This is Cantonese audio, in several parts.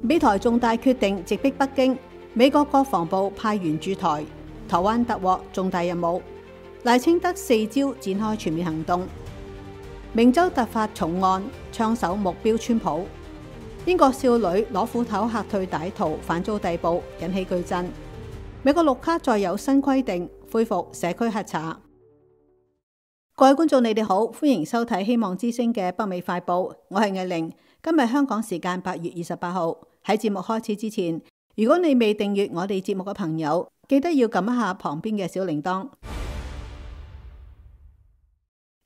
美台重大決定直逼北京，美國國防部派員駐台，台灣突獲重大任務。賴清德4朝展開全面行動。明州突發重案，槍手目標川普。英國少女攞斧頭嚇退歹徒，反遭逮捕，引起巨震。美國綠卡再有新規定，恢復社區核查。各位觀眾，你哋好，歡迎收睇希望之聲嘅北美快報，我係藝玲。今日香港時間8月28號。喺節目開始之前，如果你未訂閱我哋節目嘅朋友，記得要撳一下旁邊嘅小鈴鐺。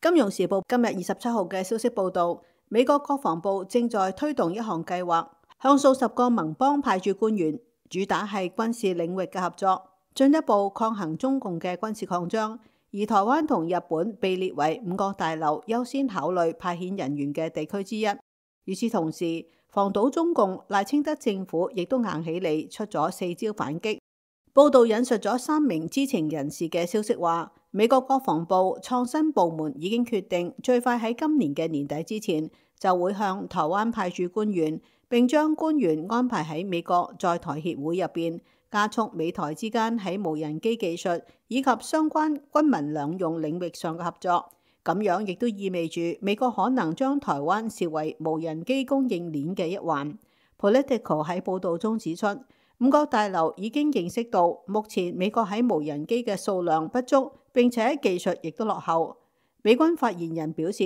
金融時報今日27號嘅消息報道，美國國防部正在推動一項計劃，向數十個盟邦派駐官員，主打係軍事領域嘅合作，進一步抗衡中共嘅軍事擴張。而台灣同日本被列為五角大樓優先考慮派遣人員嘅地區之一。與此同時，防堵中共，賴清德政府亦都硬起嚟出咗4招反擊。報道引述咗3名知情人士嘅消息話，美國國防部創新部門已經決定最快喺今年嘅年底之前就會向台灣派駐官員，並將官員安排喺美國在台協會入邊，加速美台之間喺無人機技術以及相關軍民兩用領域上嘅合作。咁樣亦都意味住美國可能將台灣視為無人機供應鏈嘅一環。Politico 喺報導中指出，五角大樓已經認識到目前美國喺無人機嘅數量不足，並且技術亦都落後。美軍發言人表示，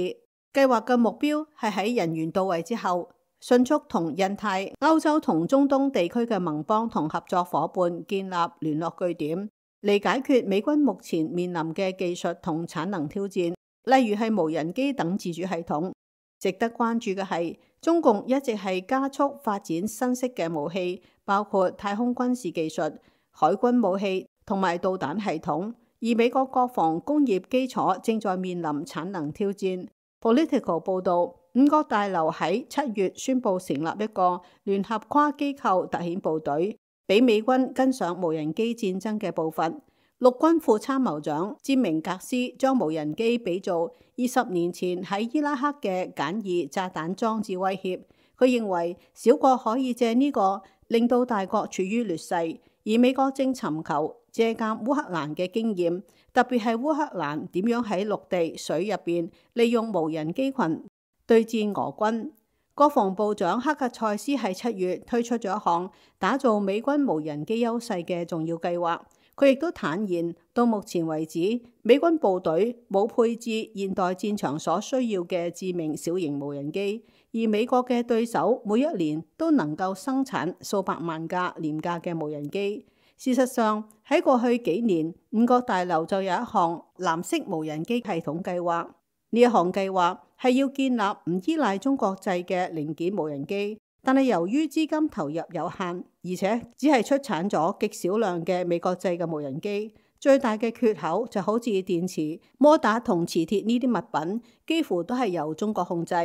計劃嘅目標係喺人員到位之後，迅速同印太、歐洲同中東地區嘅盟邦同合作夥伴建立聯絡據點，嚟解決美軍目前面臨嘅技術同產能挑戰。例如係無人機等自主系統。值得關注嘅係，中共一直係加速發展新式嘅武器，包括太空軍事技術、海軍武器同埋導彈系統，而美國國防工業基礎正在面臨產能挑戰。Political 報導，五角大樓喺7月宣布成立一個聯合跨機構特遣部隊，俾美軍跟上無人機戰爭嘅步伐。陸軍副參謀長詹明格斯將無人機比做20年前喺伊拉克嘅簡易炸彈裝置威脅。佢認為小國可以借呢個令到大國處於劣勢，而美國正尋求借鑑烏克蘭嘅經驗，特別係烏克蘭點樣喺陸地、水入邊利用無人機群對戰俄軍。國防部長克格塞斯喺7月推出咗一項打造美軍無人機優勢嘅重要計劃。佢亦都坦言，到目前為止，美軍部隊冇配置現代戰場所需要嘅致命小型無人機，而美國嘅對手每一年都能夠生產數百萬架廉價嘅無人機。事實上，喺過去幾年，五角大樓就有一項藍色無人機系統計劃。呢一項計劃係要建立唔依賴中國製嘅零件無人機。但係由於資金投入有限，而且只係出產咗極少量嘅美國製嘅無人機，最大嘅缺口就好似電池、摩打同磁鐵呢啲物品，幾乎都係由中國控制。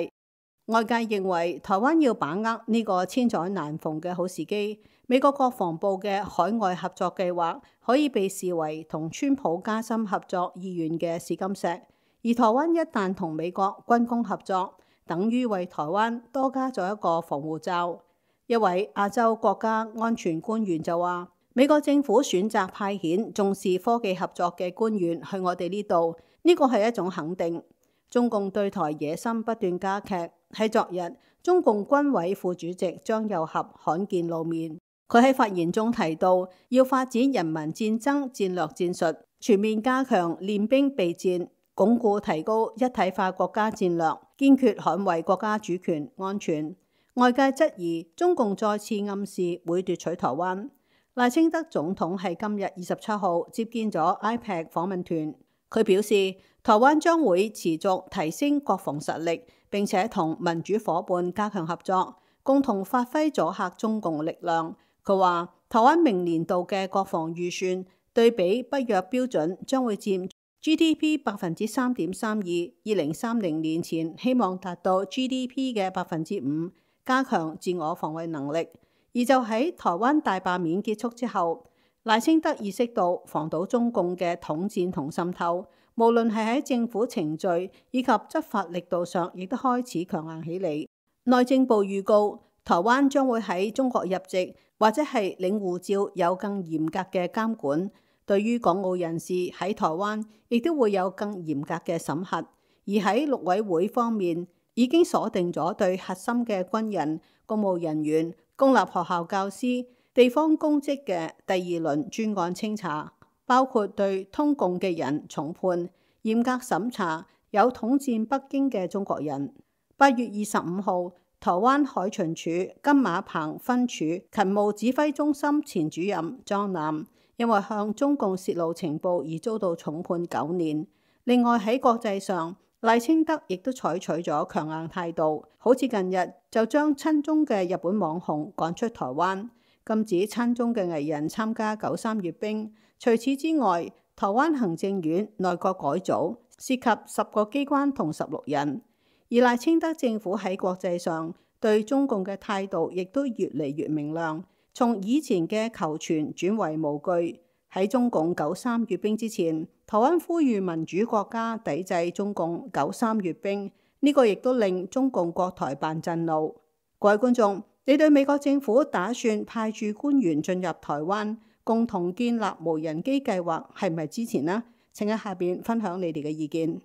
外界認為台灣要把握呢個千載難逢嘅好時機，美國國防部嘅海外合作計劃可以被視為同川普加深合作意願嘅試金石。而台灣一旦同美國軍工合作，等於為台灣多加咗一個防護罩。一位亞洲國家安全官員就話，美國政府選擇派遣重視科技合作嘅官員去我哋呢度，呢個係一種肯定。中共對台野心不斷加劇。喺昨日，中共軍委副主席張又俠罕見露面。佢喺發言中提到，要發展人民戰爭戰略戰術，全面加強練兵備戰，鞏固提高一體化國家戰略，堅決捍衛國家主權安全。外界質疑中共再次暗示會奪取台灣。賴清德總統喺今日27號接見咗 IPAC 訪問團，佢表示台灣將會持續提升國防實力，並且同民主夥伴加強合作，共同發揮阻嚇中共力量。佢話台灣明年度嘅國防預算對比北約標準將會佔GDP 3.32%， 2030年前希望達到 GDP 嘅5%，加強自我防衛能力。而就喺台灣大罷免結束之後，賴清德意識到防堵中共嘅統戰同滲透，無論係喺政府程序以及執法力度上，亦都開始強硬起嚟。內政部預告，台灣將會喺中國入籍或者係領護照有更嚴格嘅監管。對於港澳人士喺台灣，亦都會有更嚴格嘅審核。而喺陸委會方面，已經鎖定咗對核心嘅軍人、公務人員、公立學校教師、地方公職嘅第二輪專案清查，包括對通共嘅人重判，嚴格審查有統戰北京嘅中國人。8月25號，台灣海巡署金馬棚分署勤務指揮中心前主任莊南，因為向中共泄露情報而遭到重判9年。另外喺國際上，賴清德亦都採取咗強硬態度，好似近日就將親中嘅日本網紅趕出台灣，禁止親中嘅藝人參加93閱兵。除此之外，台灣行政院內閣改組涉及10個機關同16人。而賴清德政府喺國際上對中共嘅態度亦都越嚟越明亮，從以前嘅求全轉為無懼。喺中共93閱兵之前，台灣呼籲民主國家抵制中共93閱兵，呢個亦都令中共國台辦震怒。各位觀眾，你對美國政府打算派駐官員進入台灣，共同建立無人機計劃係咪支持呢？請喺下邊分享你哋嘅意見。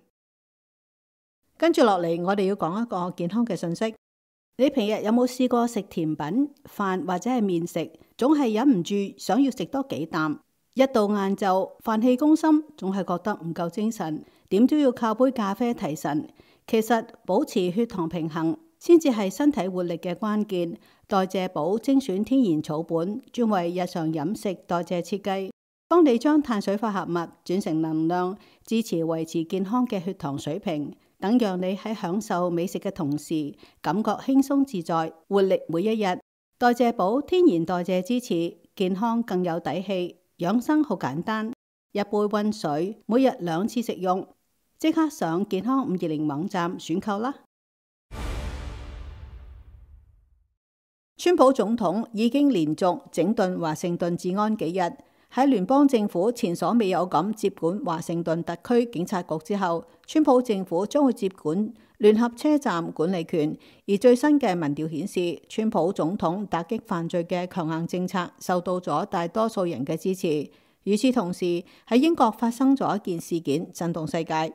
跟住落嚟，我哋要講一個健康嘅信息。你平日有冇試過食甜品、飯或者係麵食，總係忍唔住想要食多幾啖？一到晏晝，飯氣攻心，總係覺得唔夠精神，點都要靠杯咖啡提神。其實保持血糖平衡先至係身體活力嘅關鍵。代謝寶精選天然草本，專為日常飲食代謝設計，幫你將碳水化合物轉成能量，支持維持健康嘅血糖水平，等讓你喺享受美食嘅同時，感覺輕鬆自在，活力每一日。代謝寶天然代謝支持，健康更有底氣。養生好簡單，一杯溫水，每日2次食用。即刻上健康520網站選購啦！川普總統已經連續整頓華盛頓治安幾日，喺聯邦政府前所未有咁接管華盛頓特區警察局之後，川普政府將會接管聯合車站管理權。而最新嘅民調顯示，川普總統打擊犯罪嘅強硬政策受到咗大多數人嘅支持。與此同時，喺英國發生咗一件事件，震動世界。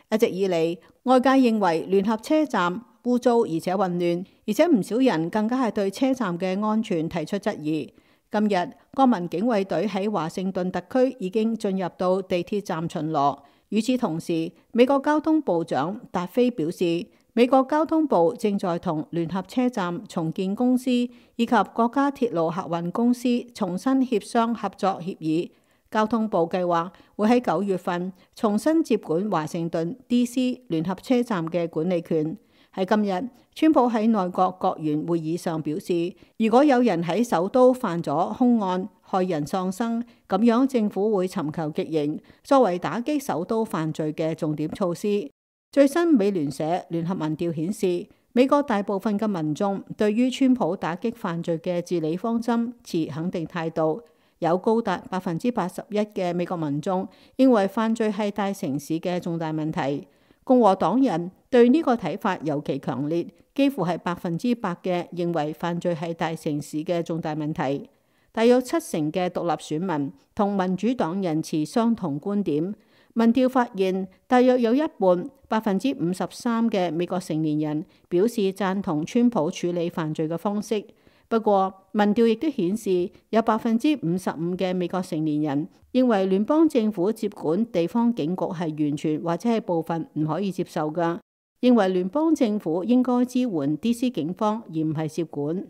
一直以嚟，外界認為聯合車站污糟而且混亂，而且唔少人更加係對車站嘅安全提出質疑。今日，國民警衛隊喺華盛頓特區已經進入到地鐵站巡邏。與此同時，美國交通部長達菲表示，美國交通部正在同聯合車站重建公司以及國家鐵路客運公司重新協商合作協議。交通部計劃會喺9月份重新接管華盛頓 DC 聯合車站嘅管理權。喺今日，川普喺內閣閣員會議上表示，如果有人喺首都犯咗兇案，害人喪生，咁樣政府會尋求極刑，作為打擊首都犯罪嘅重點措施。最新美聯社聯合民調顯示，美國大部分嘅民眾對於川普打擊犯罪嘅治理方針持肯定態度，有高達81%嘅美國民眾認為犯罪係大城市嘅重大問題。共和黨人對呢個睇法尤其強烈，幾乎係100%嘅認為犯罪係大城市嘅重大問題。大約70%嘅獨立選民同民主黨人持相同觀點。民調發現，大約有一半53%嘅美國成年人表示贊同川普處理犯罪嘅方式。不過，民調亦都顯示，有55%嘅美國成年人認為聯邦政府接管地方警局係完全或者係部分唔可以接受㗎，認為聯邦政府應該支援 DC 警方而唔係接管。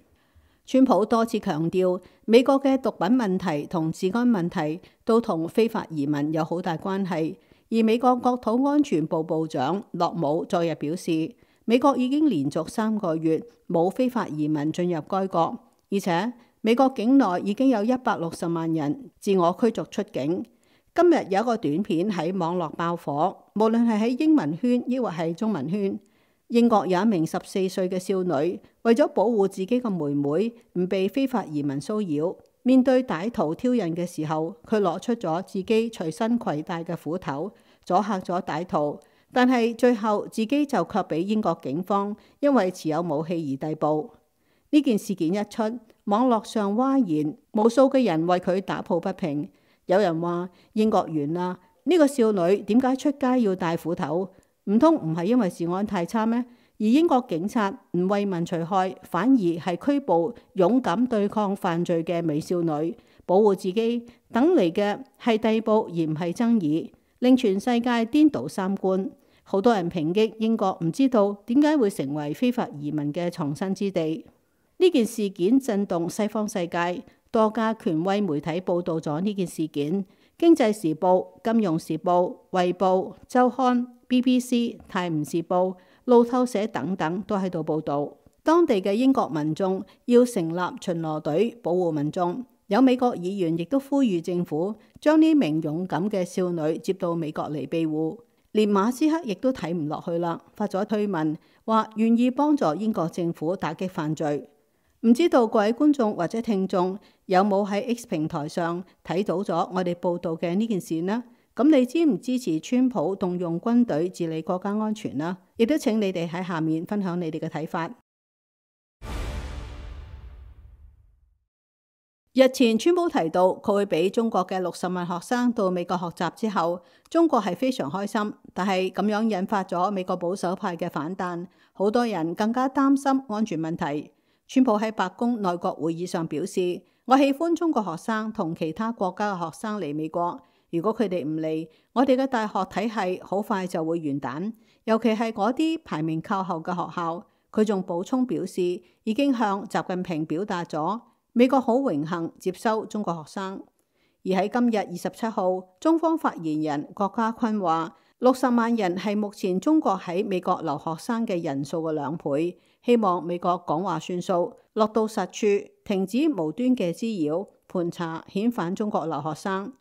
川普多次強調，美國嘅毒品問題同治安問題都同非法移民有好大關係。而美國國土安全部部長洛姆昨日表示，美國已經連續3個月冇非法移民進入該國，而且美國境內已經有160萬人自我驅逐出境。今日有一個短片喺網絡爆火，無論係喺英文圈抑或係中文圈。英國有一名14歲嘅少女，為咗保護自己嘅妹妹唔被非法移民騷擾，面對歹徒挑釁嘅時候，佢攞出咗自己隨身攜帶嘅斧頭，阻嚇咗歹徒。但係最後自己就卻俾英國警方因為持有武器而逮捕。呢呢件事件一出，網絡上譁然，無數嘅人為佢打抱不平。有人話英國完啦，呢個少女點解出街要帶斧頭？唔通唔係因為治安太差咩？而英國警察唔為民除害，反而係拘捕勇敢對抗犯罪嘅美少女，保護自己，等嚟嘅係逮捕而唔係爭議，令全世界顛倒三觀。好多人抨擊英國唔知道點解會成為非法移民嘅藏身之地。呢件事件震動西方世界，多家權威媒體報導咗呢件事件，《經濟時報》、《金融時報》、《衛報》、《週刊》、BBC、《泰晤士報》、路透社等等都喺度報導。當地嘅英國民眾要成立巡邏隊保護民眾，有美國議員亦都呼籲政府將呢名勇敢嘅少女接到美國嚟庇護。連馬斯克亦都睇唔落去啦，發咗推文話願意幫助英國政府打擊犯罪。唔知道各位觀眾或者聽眾有冇喺 X 平台上睇到咗我哋報道嘅呢件事呢？咁你支唔支持川普動用軍隊治理國家安全呢？亦都請你哋喺下面分享你哋嘅睇法。日前川普提到佢會俾中國嘅60萬學生到美國學習之後，中國係非常開心，但係咁樣引發咗美國保守派嘅反彈，好多人更加擔心安全問題。川普喺白宮內閣會議上表示：我喜歡中國學生同其他國家嘅學生嚟美國，如果佢哋唔嚟，我哋嘅大學體系好快就會完蛋，尤其係嗰啲排名靠後嘅學校。佢仲補充表示，已經向習近平表達咗美國好榮幸接收中國學生。而喺今日27號，中方發言人郭家坤話：60萬人係目前中國喺美國留學生嘅人數嘅2倍。希望美國講話算數，落到實處，停止無端嘅滋擾、盤查、遣返中國留學生。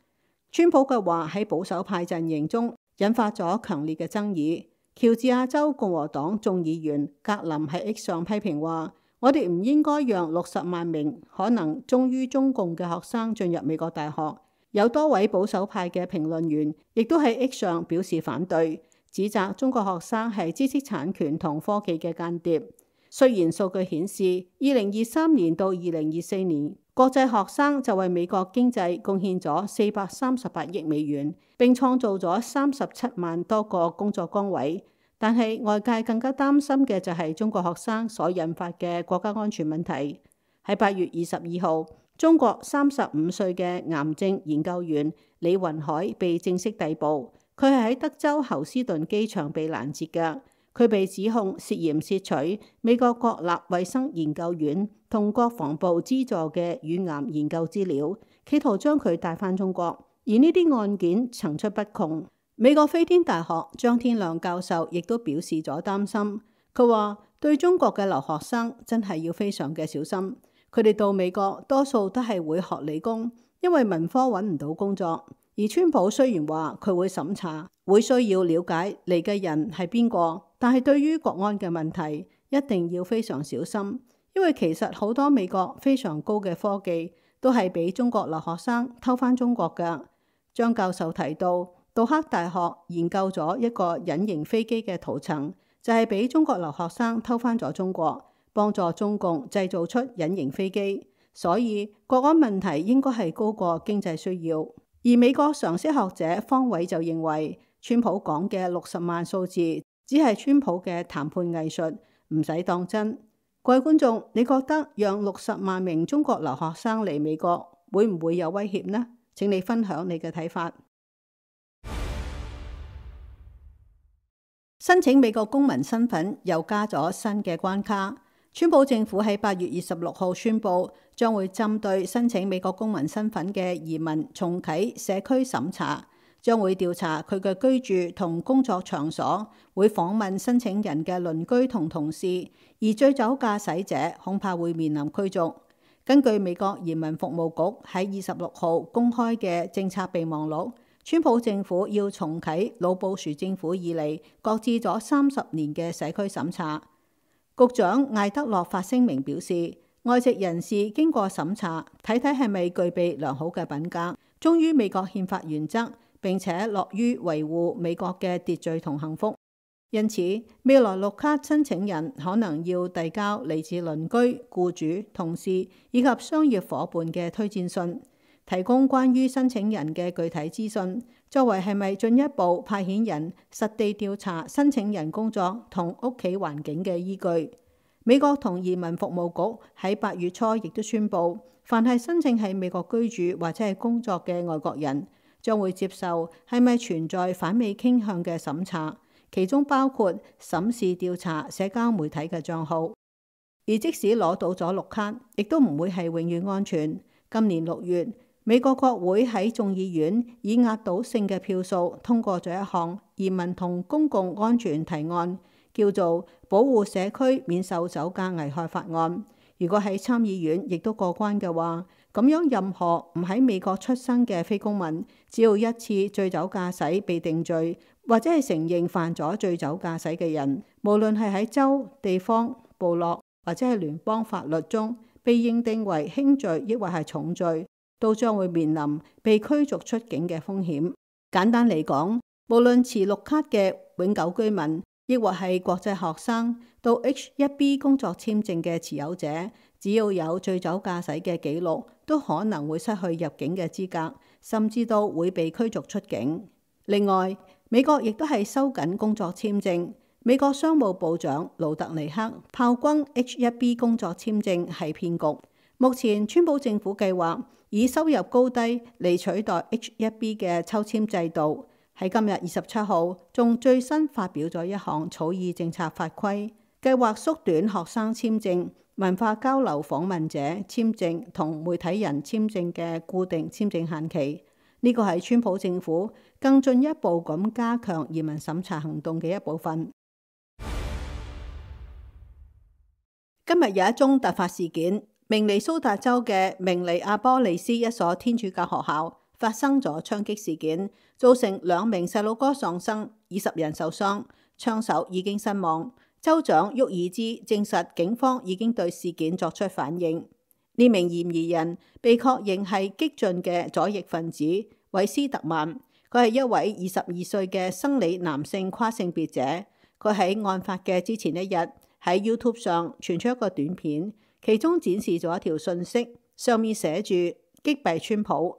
川普嘅話喺保守派陣營中引發咗強烈嘅爭議。喬治亞州共和黨眾議員格林喺 X 上批評話：我哋唔應該讓60萬名可能忠於中共嘅學生進入美國大學。有多位保守派嘅評論員亦都喺 X 上表示反對，指責中國學生係知識產權同科技嘅間諜。雖然數據顯示，2023年到2024年，國際學生就為美國經濟貢獻咗438億美元，並創造咗37萬多個工作崗位。但係外界更加擔心嘅就係中國學生所引發嘅國家安全問題。喺8月22號，中國35歲嘅癌症研究員李雲海被正式逮捕，佢係喺德州侯斯頓機場被攔截嘅。佢被指控涉嫌竊取美國國立衛生研究院同國防部資助嘅乳癌研究資料，企圖將佢帶返中國。而呢啲案件層出不窮。美國飛天大學張天亮教授亦都表示咗擔心。佢話對中國嘅留學生真係要非常嘅小心。佢哋到美國多數都係會學理工，因為文科揾唔到工作。而川普雖然話佢會審查，會需要了解嚟嘅人係邊個，但係對於國安嘅問題一定要非常小心，因為其實好多美國非常高嘅科技都係俾中國留學生偷返中國㗎。張教授提到，杜克大學研究咗一個隱形飛機嘅塗層，就係俾中國留學生偷返咗中國，幫助中共製造出隱形飛機。所以國安問題應該係高過經濟需要。而美國常識學者方偉就認為，川普講嘅60萬數字只係川普嘅談判藝術，唔使當真。各位觀眾，你覺得讓60萬名中國留學生嚟美國會唔會有威脅呢？請你分享你嘅睇法。申請美國公民身份又加咗新嘅關卡。川普政府喺8月26號宣布，將會針對申請美國公民身份嘅移民重啟社區審查，將會調查佢嘅居住同工作場所，會訪問申請人嘅鄰居同同事，而醉酒駕駛者恐怕會面臨驅逐。根據美國移民服務局喺26號公開嘅政策備忘錄，川普政府要重啟老布殊政府以嚟擱置咗30年嘅社區審查。局長艾德洛發聲明表示，外籍人士經過審查，睇睇係咪具備良好嘅品格，忠於美國憲法原則，並且樂於維護美國嘅秩序同幸福。因此，未來綠卡申請人可能要遞交嚟自鄰居、僱主、同事以及商業夥伴嘅推薦信，提供關於申請人嘅具體資訊，作為係咪進一步派遣人實地調查申請人工作同屋企環境嘅依據。美國同移民服務局喺8月初亦都宣布，凡係申請喺美國居住或者係工作嘅外國人，將會接受係咪存在反美傾向嘅審查。其中包括審視調查社交媒體嘅帳號，而即使攞到咗綠卡，亦都唔會係永遠安全。今年6月，美國國會喺眾議院以壓倒性嘅票數通過咗一項移民同公共安全提案，叫做《保護社區免受酒駕危害法案》。如果喺參議院亦都過關嘅話，咁樣任何唔喺美國出生嘅非公民，只要一次醉酒駕駛被定罪，或者係承認犯咗醉酒駕駛嘅人，無論係喺州、地方、部落或者係聯邦法律中被認定為輕罪抑或係重罪，都將會面臨被驅逐出境嘅風險。簡單嚟講，無論持綠卡嘅永久居民，亦或係國際學生，到 H-1B 工作簽證嘅持有者，只要有醉酒駕駛嘅記錄，都可能會失去入境嘅資格，甚至都會被驅逐出境。另外，美國亦都係收緊工作簽證。美國商務部長盧特尼克炮轟 H-1B 工作簽證係騙局。目前川普政府計劃以收入高低嚟取代 H-1B 嘅抽簽制度。喺今日27號，仲最新發表咗一項草擬政策法規，計劃縮短學生簽證、文化交流訪問者簽證同媒體人簽證嘅固定簽證限期。呢個係川普政府更進一步咁加強移民審查行動嘅一部分。今日有一宗突發事件，明尼蘇達州嘅明尼阿波利斯一所天主教學校發生咗槍擊事件，造成2名細路哥喪生，20人受傷，槍手已經身亡。州長沃爾茲證實警方已經對事件作出反應。呢名嫌疑人被確認係激進嘅左翼分子韋斯特曼，佢係一位22歲嘅生理男性跨性別者。佢喺案發嘅之前一日喺 YouTube 上傳出一個短片，其中展示咗一條訊息，上面寫住擊斃川普。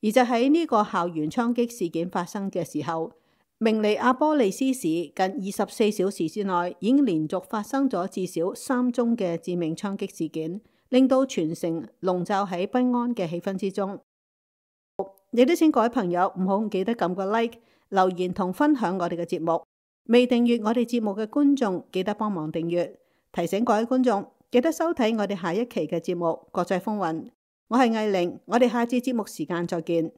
而就喺呢個校園槍擊事件發生嘅時候，明尼阿波利斯市近24小時之內已經連續發生咗至少3宗嘅致命槍擊事件，令到全城籠罩喺不安嘅氣氛之中。亦都請各位朋友唔好唔記得撳個 like、留言同分享我哋嘅節目。未訂閱我哋節目嘅觀眾，記得幫忙訂閱。提醒各位觀眾，記得收睇我哋下一期嘅節目《國際風雲》。我係藝玲，我哋下次節目時間再見。